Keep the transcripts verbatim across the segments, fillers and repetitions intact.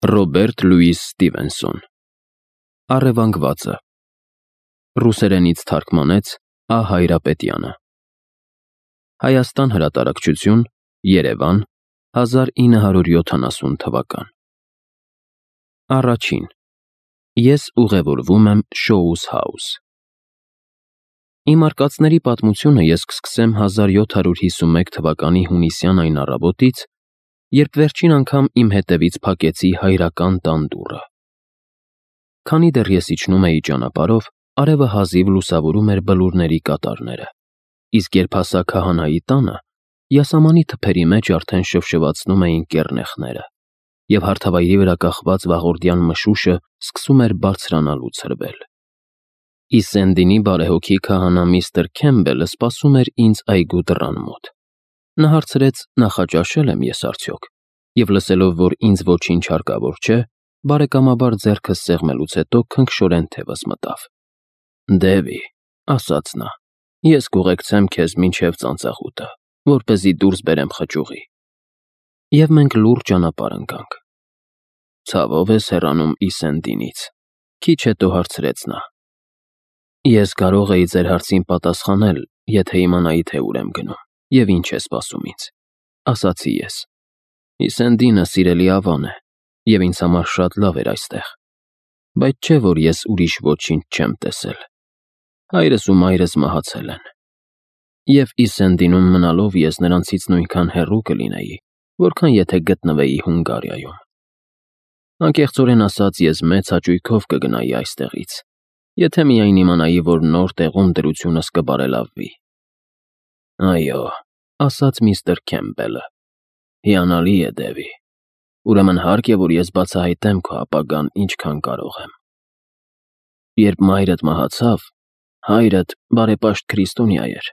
Ռոբերտ Լուիս Ստիվենսոն Առևանգվածը Ռուսերենից թարգմանեց Ա. Հայրապետյանը Հայաստան հրատարակչություն Երևան հազար ինը հարյուր յոթանասուն թվական Առաջին Ես ուղևորվում եմ Շոուս Հաուս Իմ արկածների պատմությունը ես կսկսեմ հազար յոթ հարյուր հիսունմեկ թվականի հունիսյան այն առավոտից, երբ վերջին անգամ իմ հետևից փակեցի հայրական տան դուռը։ Քանի դեռ ես իջնում էի ճանապարհով, արևը հազիվ լուսավորում էր բլուրների կատարները, իսկ երբ հասա քահանայի տանը, յասամանի թփերի մեջ արդեն շվշվացնում էին կեռնեխները, և հարթավայրի վրա կախված վաղորդյան մշուշը սկսում էր բարձրանալու ցրվել։ Իսենդինի բարեհոգի քահանա միստր Քեմբելը սպասում էր ինձ այգու դռան մոտ։ Նա հարցրեց՝ նախաճաշե՞լ եմ ես արդյոք, և լսելով, որ ինձ ոչինչ հարկավոր չէ, բարեկամաբար ձեռքս սեղմելուց հետո քնքշորեն թևս մտավ։ «Դևի», ասաց նա, «ես կուղեկցեմ քեզ մինչև ծանծաղուտը, որպեսզի դուրս բերեմ խճուղի»։ Եվ մենք լուռ ճանապարհ ընկանք։ «Ցավով ես հեռանում Իսենդինից», քիչ հետո հարցրեց նա։ «Ես կարող էի ձեր հարցին պատասխանել, եթե իմանայի, թե ուր եմ գնում և ինչ է սպասում ինձ», ասացի ես։ «Իսենդինը սիրելի ավան է, և ինձ համար շատ լավ էր այստեղ, բայց չէ՞ որ ես ուրիշ ոչինչ չեմ տեսել։ Հայրս ու մայրս մահացել են, և Իսենդինում մնալով ես նրանցից նույնքան հեռու կլինեի, որքան եթե գտնվեի Հունգարիայում։ Անկեղծորեն ասած, ես մեծ հաճույքով կգնայի այստեղից, եթե միայն իմանայի, որ նոր տեղում դրությունս կբարելավվի»։ «Այո», ասաց միստր Քեմբելը, «հիանալի է, Դևի, ուրեմն հարկ է, որ ես բացահայտեմ քո ապագան ինչքան կարող եմ։ Երբ մայրդ մահացավ, հայրդ բարեպաշտ քրիստոնյա էր,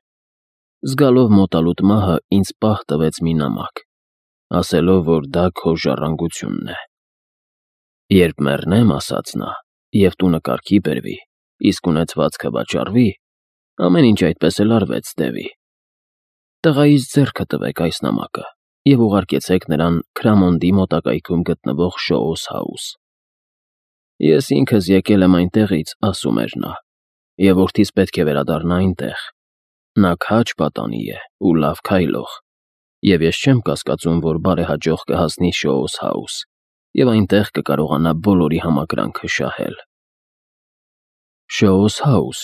զգալով մոտալուտ մահը ինձ պահ տվեց մի նամակ, ասելով, որ դա քո ժառանգությունն է։ Երբ մեռնեմ, ասաց նա, և տունը կարգի բերվի, իսկ ունեցվածքը վաճառվի, ամեն ինչ այդպես էլ արվեց, Դևի։ Տղայիս ձեռքը տվեք այս նամակը և ուղարկեցեք նրան Քրամոնդի մոտակայքում գտնվող Շոուս Հաուս։ Ես ինքս եկել եմ այնտեղից, ասում էր նա, և որդիս պետք է վերադառնա այնտեղ։ Նա քաջ պատանի է ու լավ քայլող, և ես չեմ կասկածում, որ բարեհաջող կհասնի Շոուս Հաուս և այնտեղ կկարողանա բոլորի համակրանքը շահել։ «Շոուս Հաուս»,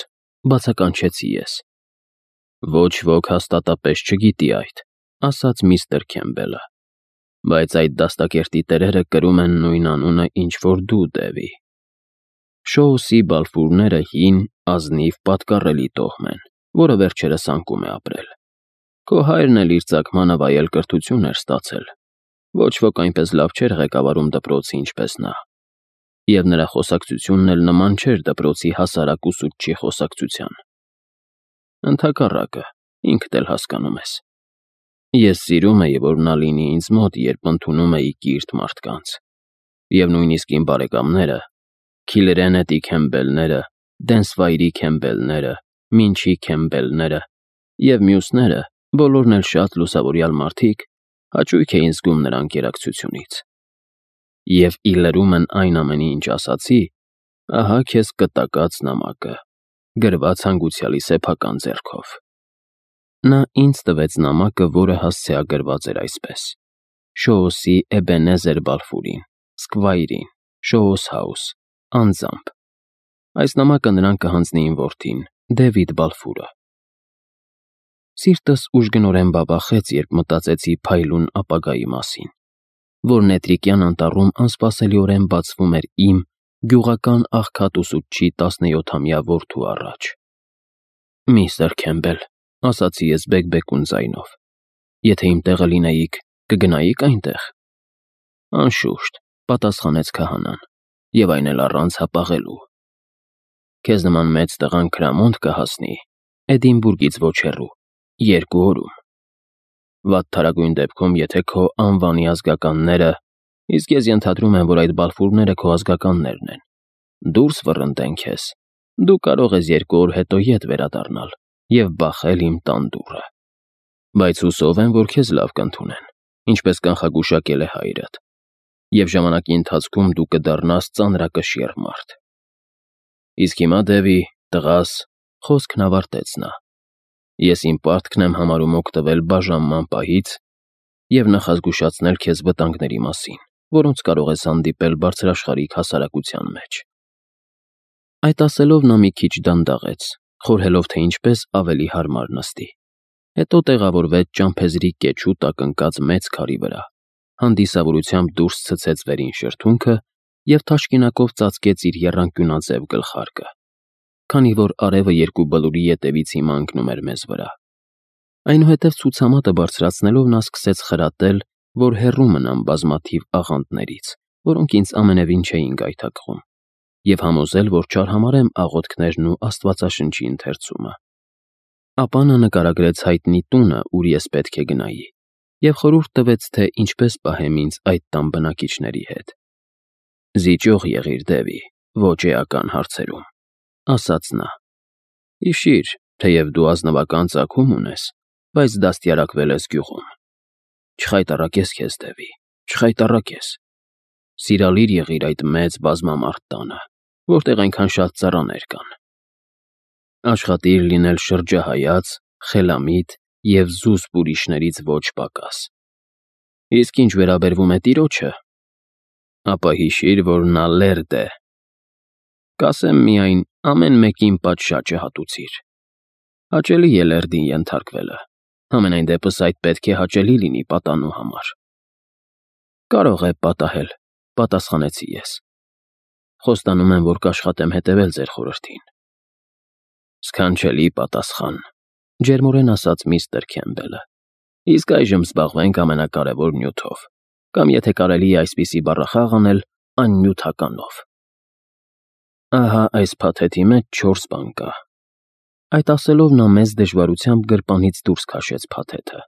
բացականչեցի ես։ «Ոչ ոք հաստատապես չգիտի այդ», ասաց միստր Քեմբելը, «բայց այդ դաստակերտի տերերը կրում են նույն անունը, ինչ որ դու, Դևի։ Շոուսի բալֆուրները հին, ազնիվ, պատկառելի տոհմ են, որը վերջերս անկում է ապրել։ Քո հայրն էլ իր ծագմանը վայել կրթություն էր ստացել, ոչ ոք այնպես լավ չէր ղեկավարում դպրոցը, ինչպես նա, և նրա խոսակցությունն էլ նման չէր դպրոցի հասարակ ուսուցչի խոսակցության։ Ընդհակառակը, ինքդ էլ հասկանում ես։ Ես սիրում էի, որ նա լինի ինձ մոտ, երբ ընդունում էի կիրթ մարդկանց, և նույնիսկ իմ բարեկամները, Քիլրենետի Քեմբելները, Դենսվայրի Քեմբելները, Մինչի Քեմբելները և մյուսները, բոլորն էլ շատ լուսավորյալ մարդիկ, հաճույք էին զգում նրա ընկերակցությունից։ Եվ ի լրումն այն ամենի, ինչ ասացի, ահա քեզ կտակած նամակը, գրված հանգուցյալի սեփական ձեռքով։ Նա ինձ տվեց նամակը, որը հասցեագրված էր այսպես. Շոուսի Էբենեզեր Բալֆուրին, Սկվայրին, Շոուս Հաուս, անձամբ։ Այս նամակը նրան կհանձնի իմ որդին, Դևիդ Բալֆուրը։ Սիրտս ուժգնորեն բաբախեց, երբ մտածեցի փայլուն ապագայի մասին, որ Նետրիկյան անտառում անսպասելիորեն բացվում էր իմ՝ գյուղական աղքատ ուսուցչի տասնյոթամյա որդու առաջ։ «Միստր Քեմբել», ասացի ես բեկբեկուն ձայնով, «եթե իմ տեղը լինեիք, կգնայի՞ք այնտեղ»։ «Անշուշտ», պատասխանեց քահանան, «և այն էլ առանց հապաղելու։ Քեզ նման մեծ տղան Քրամոնդ կհասնի, Էդինբուրգից ոչ հեռու, երկու օրում։ Վատթարագույն դեպքում, եթե քո անվանի ազգականները, իսկ ես ենթադրում եմ, որ այդ բալֆուրները քո ազգականներն են, դուրս վռնդեն քեզ, դու կարող ես երկու օր հետո ետ վերադառնալ և բախել իմ տան դուռը։ Բայց հուսով եմ, որ քեզ լավ կընդունեն, ինչպես կանխագուշակել է հայրդ։ և ժամանակի ընթացքում դու կդառնաս ծանրակշիռ մարդ։ Իսկ հիմա, Դևի, տղաս, խոսքն ավարտեց նա, ես իմ պարտքն եմ համարում օգտվել բաժանման պահից և նախազգուշացնել քեզ վտանգների մասին, որոնց կարող ես հանդիպել բարձրաշխարհիկ հասարակության մեջ։ Այդ ասելով նա մի քիչ դանդաղեց, խորհելով, թե ինչպես ավելի հարմար նստի, հետո տեղավորվեց ճամփեզի կեչու տակ ընկած մեծ քարի վրա, հանդիսավորությամբ դուրս ցցեց վերին շրթունքը և թաշկինակով ծածկեց իր եռանկյունաձև գլխարկը, քանի որ արևը երկու բլուրի ետևից հիմա ընկնում էր մեզ վրա։ Այնուհետև ցուցամատը բարձրացնելով նա սկսեց խրատել, որ հեռու մնամ բազմաթիվ աղանդներից, որոնք ինձ ամենևին չէին գայթակղում, և համոզել, որ չարհամարհեմ աղոթքներն ու Աստվածաշնչի ընթերցումը։ Ապա նա նկարագրեց հայտնի տունը, ուր ես պետք է գնայի, և խորհուրդ տվեց, թե ինչպես պահեմ ինձ այդ տան բնակիչների հետ։ «Զիջող եղիր, Դևի, ոչ էական հարցերում», ասաց նա։ «Հիշիր, թեև դու ազնվական ծագում ունես, բայց դաստիարակվել ես գյուղում։ Չխայտառակես քեզ, Դևի, չխայտառակես։ Սիրալիր եղիր այդ մեծ բազմամարդ տանը, որտեղ այնքան շատ ծառաներ կան։ Աշխատիր լինել շրջահայաց, խելամիտ և զուսպ ուրիշներից ոչ պակաս։ Իսկ ինչ վերաբերվում է տիրոջը, ապա հիշիր, որ նա լերդ է։ Կասեմ միայն, ամեն մեկին պատշաճը հատուցիր։ Հաճելի է լերդին ենթարկվելը, համենայն դեպս այդ պետք է հաճելի լինի պատանու համար»։ «Կարող է պատահել», պատասխանեցի ես։ «Խոստանում եմ, որ կաշխատեմ հետևել ձեր խորհրդին»։ «Սքանչելի պատասխան», ջերմորեն ասաց միստր Քեմբելը։ «Իսկ այժմ զբաղվենք ամենակարևոր նյութով, կամ եթե կարելի է այսպիսի բառախաղ անել, աննյութականով։ Ահա այս փաթեթի մեջ չորս բան կա»։ Այդ ասելով նա մեծ դժվարությամբ գրպանից դուրս քաշեց փաթեթը։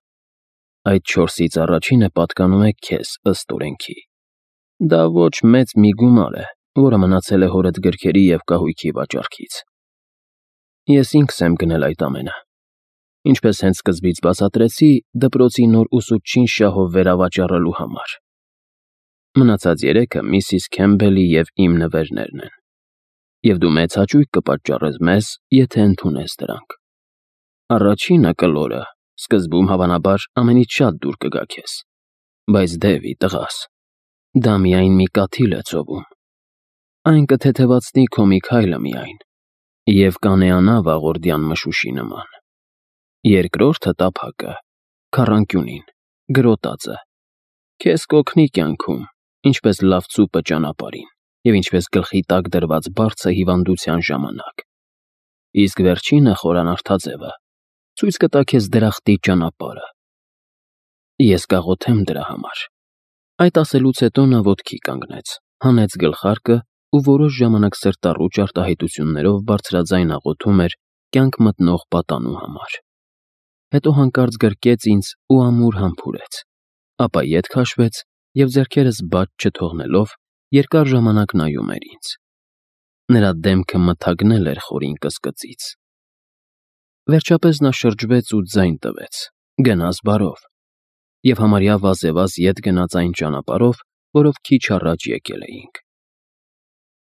«Այդ չորսից առաջինը պատկանում է քեզ, ըստ օրենքի։ Դա ոչ մեծ մի գումար է, որը մնացել է հորդ գրքերի և կահույքի վաճառքից։ Ես ինքս եմ գնել այդ ամենը։ Ինչպես հենց սկզբից բացատրեցի, դպրոցի նոր ուսուցչին շահով վերավաճառելու համար։ Մնացած երեքը միսիս Քեմբելի և իմ նվերներն են, և դու մեծ հաճույք կպատճառես մեզ, եթե ընդունես դրանք։ Առաջինը, կլորը, սկզբում, հավանաբար, ամենից շատ դուր կգա քեզ, բայց Դևի, տղաս, դա միայն մի կաթիլ է ծովում։ Այն կթեթևացնի քո մի քայլը միայն և կանեանա վաղորդյան մշուշի նման։ Երկրորդը տափակը, քառանկյունին, գրոտածը, քեզ կօգնի կյանքում, ինչպես լավ ծուպը ճանապարհին, և ինչպես գլխի տակ դրված բարձը հիվանդության ժամանակ։ Իսկ վերջինը, խորանարդաձևը, ցույց կտա քեզ դրախտի ճանապարհը։ Ես կաղոթեմ դրա համար»։ Այդ ասելուց հետո նա ոտքի կանգնեց, հանեց գլխարկը ու որոշ ժամանակ սրտառուչ արտահայտություններով բարձրաձայն աղոթում էր կյանք մտնող պատանու համար։ Հետո հանկարծ գրկեց ինձ ու ամուր համբուրեց, ապա ետ քաշվեց և ձեռքերս բաց չթողնելով երկար ժամանակ նայում էր ինձ։ Նրա դեմքը մթագնել էր խորին կսկծից։ Վերջապես նա շրջվեց ու ձայն տվեց. «Գնաս բարով», և համարյա վազևազ ետ գնաց այն ճանապարհով, որով քիչ առաջ եկել էինք։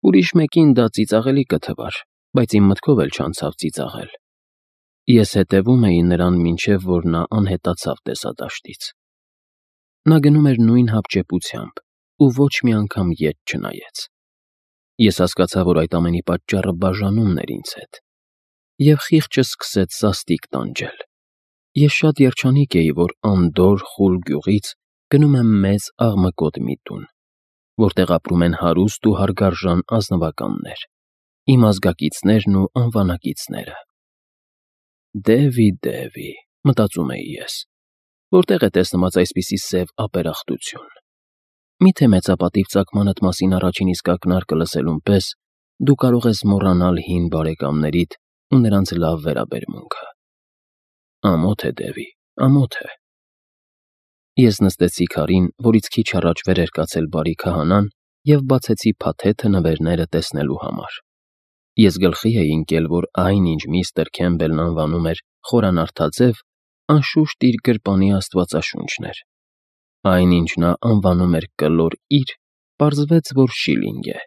Ուրիշ մեկին դա ծիծաղելի կթվար, բայց իմ մտքով էլ չանցավ ծիծաղել։ Ես հետևում էի նրան, մինչև որ նա անհետացավ տեսադաշտից։ Նա գնում էր նույն հապճեպությամբ ու ոչ մի անգամ ետ չնայեց։ Ես հասկացա, որ այդ ամենի պատճառը բաժանումն էր ինձ հետ, և խիղճը սկսեց սաստիկ տանջել։ Ես շատ երջանիկ էի, որ անդորր, խուլ գյուղից գնում եմ մեծ աղմկոտ մի տուն, որտեղ ապրում են հարուստ ու հարգարժան ազնվականներ, իմ ազգակիցներն ու անվանակիցները։ «Դևի, Դևի», մտածում էի ես, որտեղ է տեսնված այսպիսի սև ապերախտություն։ Միթե մեծապատիվ ծագմանդ մասին առաջին իսկ ակնարկը լսելուն պես դու կարող ես մոռանալ հին բարեկամներիդ ու նրանց լավ վերաբերմունքը։ Ամոթ է, Դևի, ամոթ է։ Ես նստեցի քարին, որից քիչ առաջ վեր էր կացել բարի քահանան, և բացեցի փաթեթը նվերները տեսնելու համար։ Ես գլխի էի ընկել, որ այն, ինչ միստր Քեմբելն անվանում էր խորանարդաձև, անշուշտ իր գրպանի աստվածաշունչն էր։ Այնինչ նա անվանում էր կլոր իր, պարզվեց, որ շիլինգ է,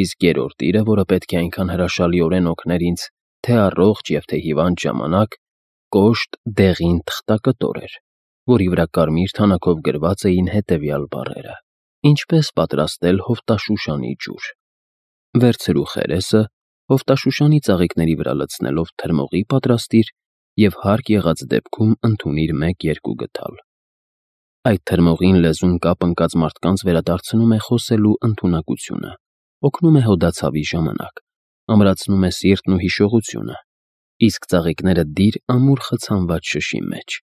իսկ երրորդ իրը, որը պետք է այնքան հրաշալիորեն օգներ ինձ թե՛ առողջ և թե՛ հիվանդ ժամանակ, կոշտ դեղին թղթակտոր էր, որի վրա կարմիր թանաքով գրված էին հետևյալ բառերը. «Ինչպես պատրաստել հովտաշուշանի ջուր։ Վերցրու խերեսը, հովտաշուշանի ծաղիկների վրա լցնելով թրմողի պատրաստիր և հարկ եղած դեպքում ընդունիր մեկ֊երկու գդալ։ Այդ թրմողին լեզուն կապ ընկած մարդկանց վերադարձնում է խոսելու ընդունակությունը, օգնում է հոդացավի ժամանակ, ամրացնում է սիրտն ու հիշողությունը, իսկ ծաղիկները դիր ամուր խցանված շշի մեջ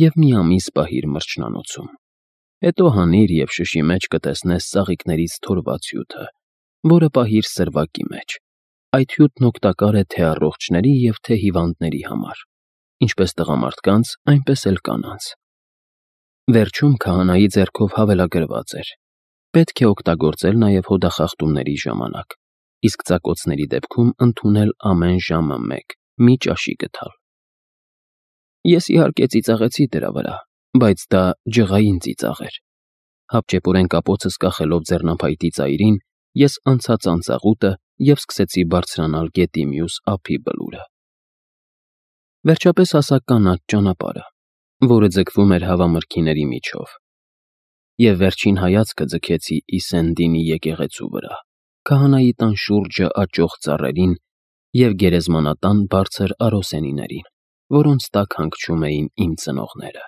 և մի ամիս պահիր մրջնանոցում։ Հետո հանիր և շշի մեջ կտեսնես ծաղիկներից թորված հյութը, որը պահիր սրվակի մեջ։ Այդ հյութն օգտակար է թե՛ առողջների և թե՛ հիվանդների համար, ինչպես տղամարդկանց, այնպես էլ կանանց»։ Վերջում քահանայի ձեռքով հավելագրված էր. «Պետք է օգտագործել նաև հոդախախտումների ժամանակ, իսկ ծակոցների դեպքում ընդունել ամեն ժամը մեկ, մի ճաշի գդալ»։ Ես, իհարկե, ծիծաղեցի դրա վրա, բայց դա ջղային ծիծաղ էր։ Հապճեպորեն կապոցս կախելով ձեռնափայտի ծայրին, ես անցա ծանծաղուտը և սկսեցի բարձրանալ գետի մյուս ափի բլուրը։ Վերջապես հասա կանաչ ճանապարհը, որը ձգվում էր հավամրգիների միջով, և վերջին հայացքը ձգեցի Իսենդինի եկեղեցու վրա, քահանայի տան շուրջը աճող ծառերին և գերեզմանատան բարձր արոսենիներին, որոնց տակ հանգչում էին իմ ծնողները։